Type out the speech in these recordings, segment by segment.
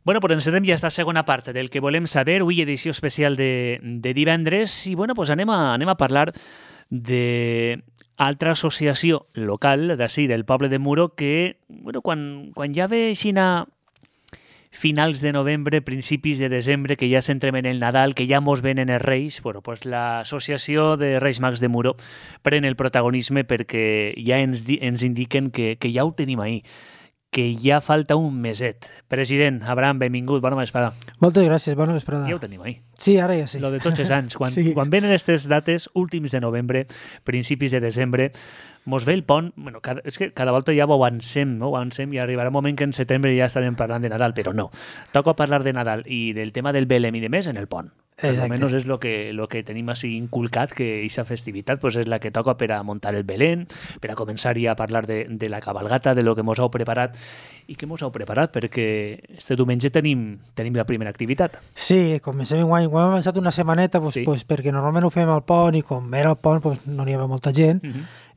Bueno, pues encetem ja esta segona part del que volem saber, avui edició especial de divendres, i bueno, pues anem a parlar d'altra associació local d'ací, del poble de Muro, que bueno, quan ja ve aixina finals de novembre, principis de desembre, que ja s'entrem en el Nadal, que ja mos venen els Reis, bueno, pues l'associació de Reis Mags de Muro pren el protagonisme perquè ja ens indiquen que ja ho tenim ahí, que ja falta un meset. President, Abraham, benvingut, bona vesprada. Moltes gràcies, bona vesprada. Ja ho tenim ahí. Sí, ara ja sí. Lo de tots els anys. Quan venen aquestes dates, últims de novembre, principis de desembre, mos ve el pont, bueno, és que cada volta ja ho avancem, no? I arribarà un moment que en setembre ja estarem parlant de Nadal, però no. Toca parlar de Nadal i del tema del Belém i de més en el pont. Almenys és lo que tenim així inculcat, que aquesta festivitat pues, és la que toca per a muntar el Belén, per a començar ja a parlar de la cabalgata, de lo que mos heu preparat. I què mos heu preparat? Perquè este diumenge tenim la primera activitat. Sí, comencem enguany. Ho hem avançat una setmaneta pues, perquè normalment ho fem al pont i com era el pont pues, no n'hi havia molta gent.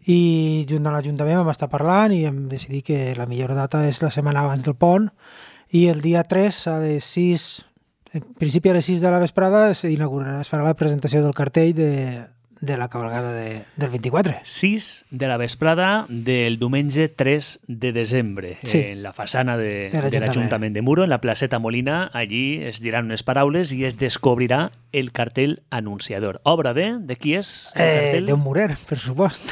I junt a l'Ajuntament vam estar parlant i hem decidit que la millor data és la setmana abans del pont i el dia 3 a les 6, en principi a les 6 de la vesprada es farà la presentació del cartell de la cabalgada del 24. 6 de la vesprada del diumenge 3 de desembre, sí, en la façana de l'Ajuntament de Muro, en la placeta Molina. Allí es diran unes paraules i es descobrirà el cartell anunciador. Obra de qui és el cartell? D'un murer, per supost.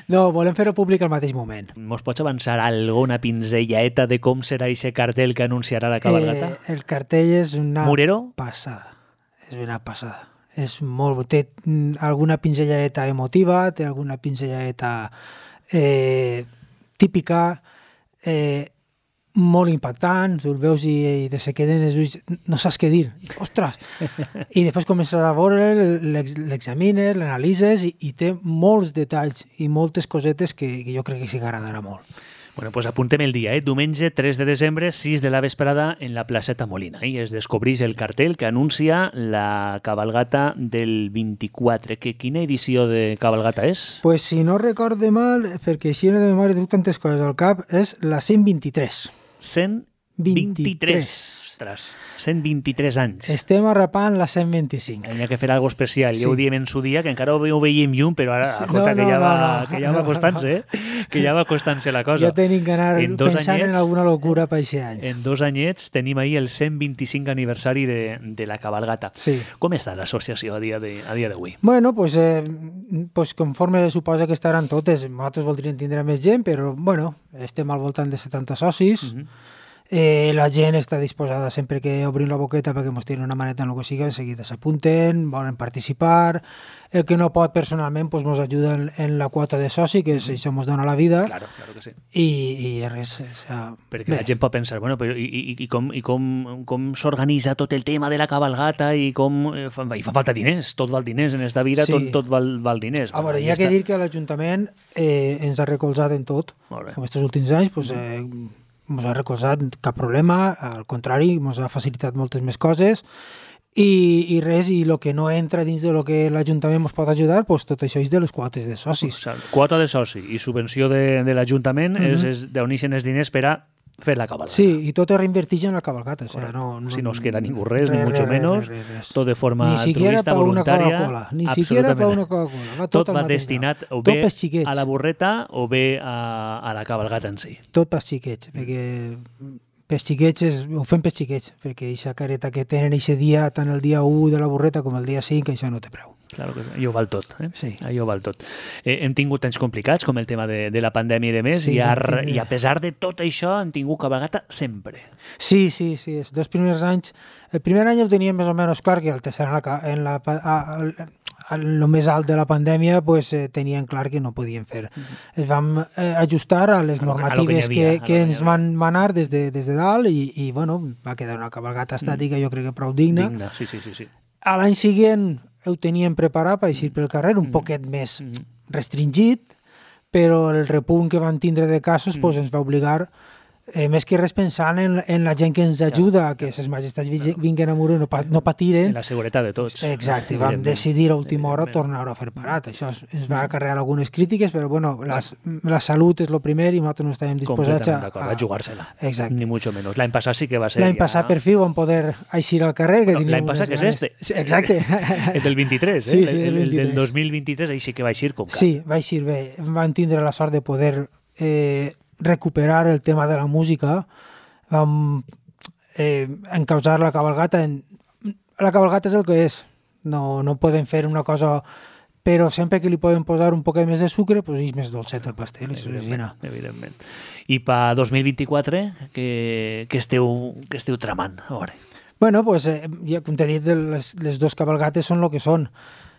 No, volem fer-ho públic al mateix moment. Mos pots avançar alguna pinzellaeta de com serà aquest cartell que anunciarà la cabalgata? El cartell és una Murero? passada. És una passada. És molt... Té alguna pinzelladeta emotiva, té alguna pinzelladeta típica, molt impactant, tu el veus i te se queden els ulls, no saps què dir, ostres! I després comences a veure, l'examines, l'analitzes i té molts detalls i moltes cosetes que jo crec que sí que agradarà molt. Bueno, pues apuntem el dia, diumenge 3 de desembre, 6 de la vesprada, en la placeta Molina. I es descobreix el cartell que anuncia la cabalgata del 24. Quina edició de cabalgata és? Pues si no recorde mal, perquè així de memòria tinc tantes coses al cap, és la 123. 123. Ostres, 123 anys. Estem arrapant la 125. Hi ha que fer alguna cosa especial. Sí. Ja ho diem en su dia, que encara ho veiem llum, però ara, escolta, que ja va costant-se, que ja va costant-se la cosa. Ja tenim que anar pensant en alguna locura per aquest any. En 2 anyets tenim ahir el 125 aniversari de la cabalgata. Sí. Com està l'associació a dia d'avui? Bueno, pues conforme suposa que estaran totes, nosaltres voldríem tindre més gent, però bueno, estem al voltant de 70 socis. La gent està disposada sempre que obrim la boqueta perquè ens tiren una maneta en el que sigui, en seguida s'apunten, volen participar. El que no pot personalment ens ajuda en la quota de soci, que això ens dona la vida. Claro que sí. I res. Perquè la gent pot pensar, bueno, però i com s'organitza tot el tema de la cabalgata i com... I fa falta diners, tot val diners en esta vida, sí. tot val diners. A veure, hi ha que dir que l'Ajuntament ens ha recolzat en tot. Com aquests últims anys, doncs... ens ha recolzat cap problema, al contrari, ens ha facilitat moltes més coses i res, i el que no entra dins de lo que l'Ajuntament ens pot ajudar, doncs tot això és de les quotes de socis. Quota de soci i subvenció de l'Ajuntament és d'on ixen els diners per a fer la cabalgata. Sí, i tot es reinvertix en la cabalgata. O sea, si no es queda ningú res, ni mucho menos, tot de forma altruista, voluntària. Ni siquiera per una Coca-Cola. Tot va destinat o bé a la burreta o bé a la cabalgata en si. Tot pels xiquets, perquè pels xiquets ho fem pels xiquets, perquè aquesta careta que tenen aquest dia, tant el dia 1 de la burreta com el dia 5, això no té preu. Claro que sí. Allò val tot. Sí. Allò val tot. Hem tingut anys complicats, com el tema de la pandèmia i de més, sí, i a pesar de tot això hem tingut cabalgata sempre. Sí. Els 2 primers anys... El primer any ho teníem més o menys clar, que el tercer en el més alt de la pandèmia pues, tenien clar que no podien fer. Es vam ajustar a les normatives que ens van manar des de dalt i bueno, va quedar una cabalgata estàtica, jo crec que prou digna. Sí. A l'any següent ho teníem preparat per eixir pel carrer, un poquet més restringit, però el repunt que van tindre de casos pues, ens va obligar més que res pensant en la gent que ens ajuda, que ses majestats vinguen a Muro i no patiren. En la seguretat de tots. Exacte, vam decidir a última hora tornar-ho a fer parat. Això ens va acarrear algunes crítiques, però bueno, la salut és el primer i nosaltres no estàvem disposats a jugar-se-la. Exacte. Ni mucho menos. L'any passat sí que va ser... L'any passat per fi vam poder eixir al carrer. L'any passat que és este. Exacte. El del 23, sí, sí, el del 2023, ahí sí que va eixir com cal. Sí, va eixir bé. Vam tindre la sort de poder recuperar el tema de la música. Vam encausar la cabalgata. La cabalgata és el que és. No podem fer una cosa... Però sempre que li podem posar un poc més de sucre, doncs és més dolcet el pastel. Evidentment. I per 2024, què esteu tramant? A veure. Bueno, pues, ja, com t'he dit, les dos cabalgates són el que són.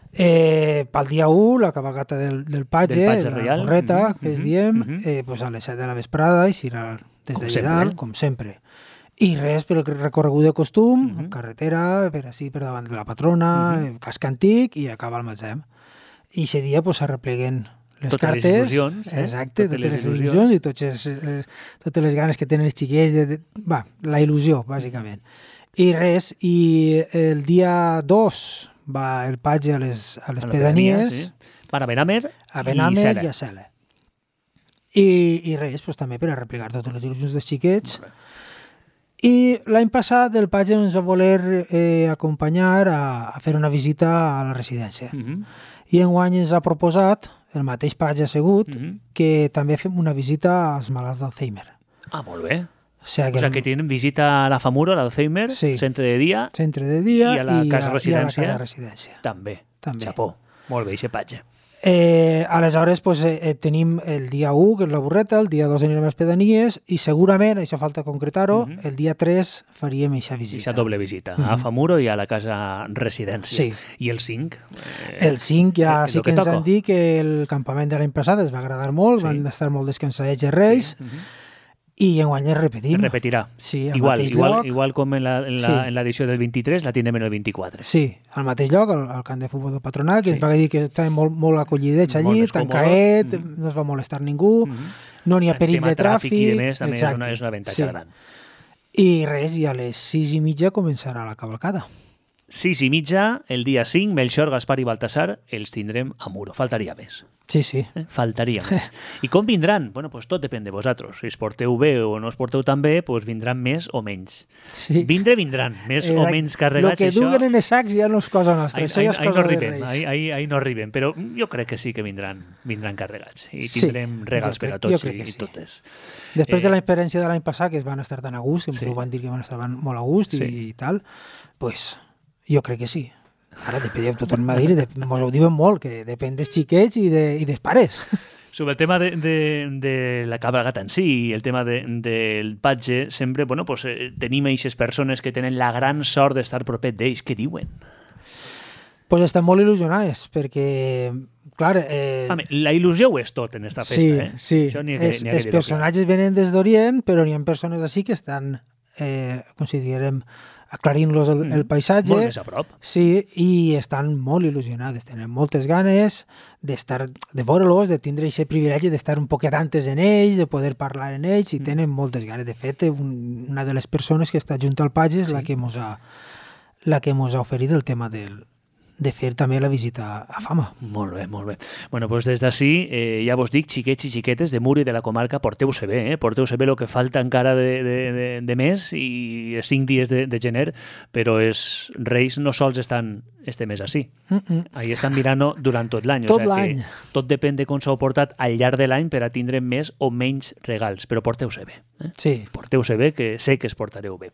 Pel dia 1, la cabalgata del Patge, la correta, que es diem, pues a les 7 de la vesprada, i serà des de dalt, com sempre. I res, per el recorregut de costum, carretera, per davant de la patrona, casc antic, i acaba el magatzem. I aquest dia s'arrepleguen les cartes. Totes les il·lusions. Exacte, totes les il·lusions i totes les ganes que tenen els xiquets. La il·lusió, bàsicament. I res, i el dia 2 va el Patge a les pedanies. Van a Benamer i a Cela. I res, també per arreplegar totes les il·lusions dels xiquets. I l'any passat el Patge ens va voler acompanyar a fer una visita a la residència. I enguany ens ha proposat, el mateix Patge assegut, que també fem una visita als malalts d'Alzheimer. Ah, molt bé. O sea, que tienen visita a la FAMURO, a l'Alzheimer, centre de dia, i a la casa residència. També. Xapó. Molt bé, aquest Patge. Aleshores, tenim el dia 1, que és la burreta, el dia 2 anirem a les pedanies, i segurament, això falta concretar-ho, el dia 3 faríem aquesta visita. Aquesta doble visita, a FAMURO i a la casa residència. Sí. I el 5? El 5 ja sí que ens han dit que el campament de l'any passat es va agradar molt, van estar molt descansadets els Reis, i enguany es repetim. Es repetirà. Sí, al mateix lloc. Igual com en l'edició del 23, la tindrem en el 24. Sí, al mateix lloc, al camp de futbol del Patronat, que ens va dir que estava molt acollidets allí, tancaet, no es va molestar ningú, no n'hi ha perill de tràfic. I demés, també és un avantatge gran. I res, i a les 6:30 començarà la cavalcada. 6:30, el dia 5, Melchor, Gaspar i Baltasar, els tindrem a Muro. Faltaria més. Sí. Faltaria més. I com vindran? Bueno, pues tot depèn de vosaltres. Si es porteu bé o no es porteu tan bé, pues vindran més o menys. Sí. Vindran més o menys carregats. El que duguen en els sacs ja no és cosa nostra. Ahí no arribem, però jo crec que sí que vindran carregats. I tindrem regals per a tots i totes. Després de l'experiència de l'any passat, que van estar tan a gust, que van dir que van estar molt a gust i tal, pues jo crec que sí. Ara depèn, tothom m'ha dit, mos ho diuen molt, que depèn dels xiquets i dels pares. Sobre el tema de la cabalgata en sí i el tema del Patge, sempre tenim aquestes persones que tenen la gran sort d'estar propet d'ells. Què diuen? Pues estan molt il·lusionats, perquè, clar... La il·lusió ho és tot en esta festa. Sí. Els personatges venen des d'Orient, però n'hi ha persones així que estan, com si diguem, aclarint-los el paisatge. Molt més a prop. Sí, i estan molt il·lusionades, tenen moltes ganes de veure-los, de tindre aquest privilegi d'estar un poquet antes en ells, de poder parlar en ells, i tenen moltes ganes. De fet, una de les persones que està junt al Patge és la que mos ha oferit el tema de fer també la visita a Fama. Molt bé. Bueno, doncs des d'ací, ja vos dic, xiquets i xiquetes de Muro i de la comarca, porteu-se bé, porteu-se bé el que falta encara de mes i 5 dies de gener, però els Reis no sols estan este mes així. Ahí estan mirant durant tot l'any. Tot l'any. Tot depèn de com s'ho portat al llarg de l'any per a tindre més o menys regals, però porteu-se bé. Sí. Porteu-se bé, que sé que es portareu bé.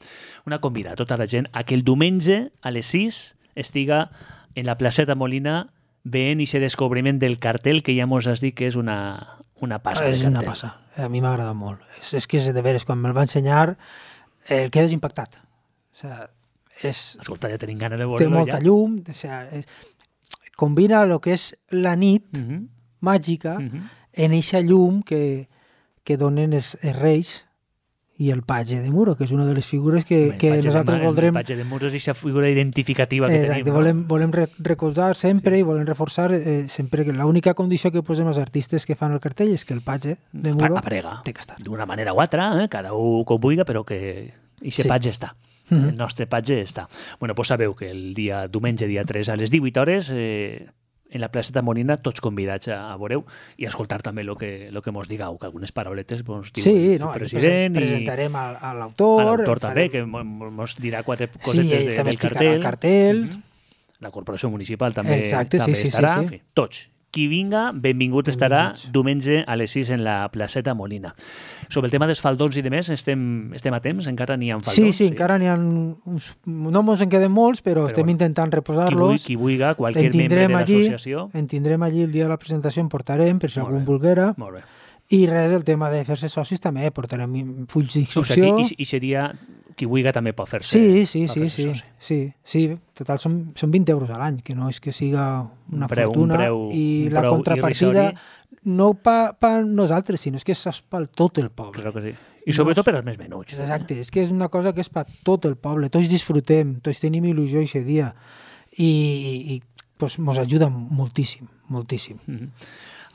Una convida a tota la gent a que el diumenge a les 6 estiga en la placeta Molina veient aquest descobriment del cartel que ja mos has dit que és una passa. És una passa. A mi m'agrada molt. És que és de veres, quan me'l va ensenyar el quedes impactat. Escolta, ja tenim gana de veure-lo. Té molta llum, combina el que és la nit màgica en eixa llum que donen els Reis i el patge de Muro, que és una de les figures que nosaltres voldrem... El patge de Muro és aquesta figura identificativa que tenim. Volem recordar sempre i volem reforçar sempre que l'única condició que posem als artistes que fan el cartell és que el patge de Muro té que estar. D'una manera o altra, cada un com vulgui, però que aquest patge està. El nostre patge està. Bueno, pues sabeu que el diumenge, dia 3, a les 18 hores... en la placeta Molina, tots convidats a veureu i a escoltar també el que mos digueu, que algunes parauletes mos diu el president. Presentarem a l'autor. A l'autor també, que mos dirà 4 cosetes del cartell. La corporació municipal també estarà. En fi, tots. Qui vinga, benvingut estarà diumenge a les 6 en la placeta Molina. Sobre el tema dels faldons i de més, estem a temps? Encara n'hi ha faldons? Sí, encara n'hi ha uns... No ens en queden molts, però estem intentant reposar-los. Qui vulgui, qualsevol membre de l'associació. En tindrem allí el dia de la presentació, en portarem, per si algú volguera. Molt bé. I res, el tema de fer-se socis també, portarem fulls d'inscripció. I seria... Qui vulgui també pot fer-se Sí. Total, són 20 euros a l'any, que no és que siga una fortuna. I la contrapartida no per nosaltres, sinó és que és per tot el poble. Claro que sí. I sobretot per als més menuts. Exacte, és que és una cosa que és per tot el poble. Tots disfrutem, tots tenim il·lusió aquest dia. I pues, mos ajuda moltíssim, moltíssim.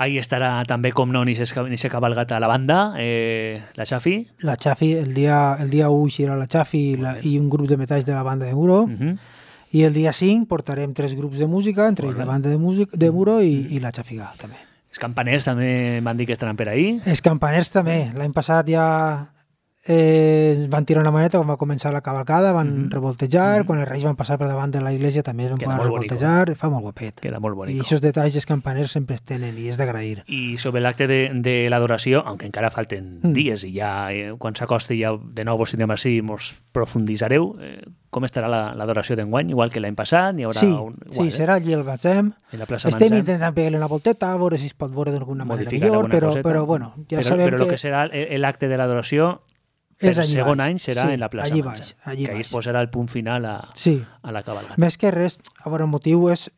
Ahí estarà també, com no, ni se cabalgata la banda, la Xafi. La Xafi, el dia 1 serà la Xafi i un grup de metalls de la banda de Muro. I el dia 5 portarem 3 grups de música, entre ells la banda de Muro i la Xafiga, també. Els campaners també van dir que estaran per ahí. Els campaners també. L'any passat ja van tirar una maneta quan va començar la cavalcada, van revoltejar, quan els reis van passar per davant de la iglesia també es van poder revoltejar, fa molt guapet. Queda molt bonic. I aquests detalls els campaners sempre es tenen i és d'agrair. I sobre l'acte de l'adoració, aunque encara falten dies i ja quan s'acosti ja de nou vos tindrem així, mos profunditzareu, com estarà l'adoració d'enguany? Igual que l'any passat? Sí, serà allí al Gatzem. Estem intentant pegar-li una volteta, a veure si es pot veure d'alguna manera millor, però bueno, ja sabem que... Però el que serà l'acte de l'adoració el segon any serà en la plaça Mansa, que ahir es posarà el punt final a la cavalcada. Més que res, a veure, el motiu és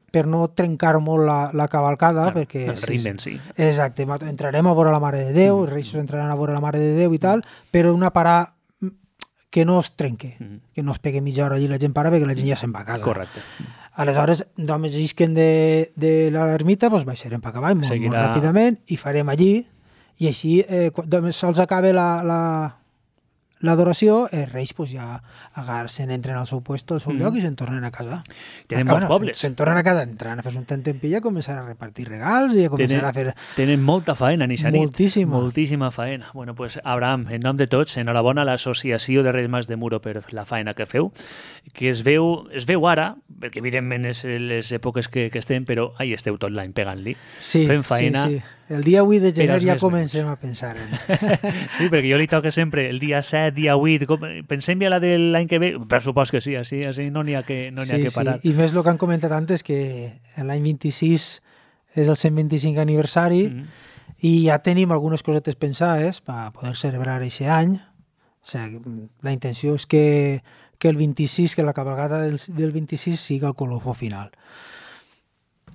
per no trencar molt la cavalcada, perquè... El ritme en si. Exacte, entrarem a veure la Mare de Déu, els reis entraran a veure la Mare de Déu i tal, però una parada que no es trenque, que no es pegui mitja hora allí la gent para perquè la gent ja se'n va a casa. Correcte. Aleshores, d'homes llisquen de l'ermita, doncs baixarem per cavall molt ràpidament i farem allí. I així, quan sols acaba l'adoració, els reis pues, ja entren al seu puesto, al seu lloc i se'n tornen a casa. Tenen molts pobles. Se'n tornen a casa, entran a fer un tentempilla, començar a repartir regals i a començar a fer... Tenen molta faena, ni nit. Moltíssima faena. Bueno, pues, Abraham, en nom de tots, enhorabona a l'Associació de Reis Mas de Muro per la faena que feu, que es veu ara, perquè evidentment és les èpoques que estem, però ahí esteu tot l'any pegant-li, fent faena. Sí. El dia 8 de gener ja comencem a pensar en... Sí, perquè jo li toca sempre el dia 7, dia 8, pensem ja la de l'any que ve, per supòs que sí, així no n'hi ha que parar. I més el que han comentat antes, que l'any 26 és el 125 aniversari i ja tenim algunes cosetes pensades per poder celebrar aquest any. O sigui, la intenció és que el 26, que la cavalgada del 26 siga el colofó final.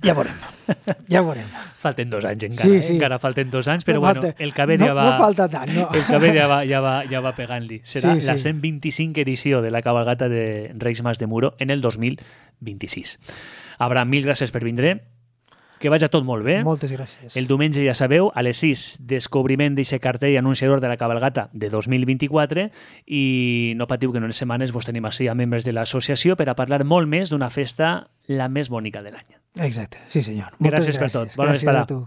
Ja veurem. Falten 2 anys encara, encara falten 2 anys, però bueno, el cabell ja va... No falta tant, no. El cabell ja va pegant-li. Serà la 125 edició de la cabalgata de Reis Mas de Muro en el 2026. Abraham, mil gràcies per vindre. Que vagi tot molt bé. Moltes gràcies. El diumenge, ja sabeu, a les 6, descobriment d'aquest cartell anunciador de la cabalgata de 2024 i no patiu que en unes setmanes vos tenim així a membres de l'associació per a parlar molt més d'una festa la més bonica de l'any. Exacte, sí senyor. Gràcies per tot. Bona vesprada. Gràcies a tu.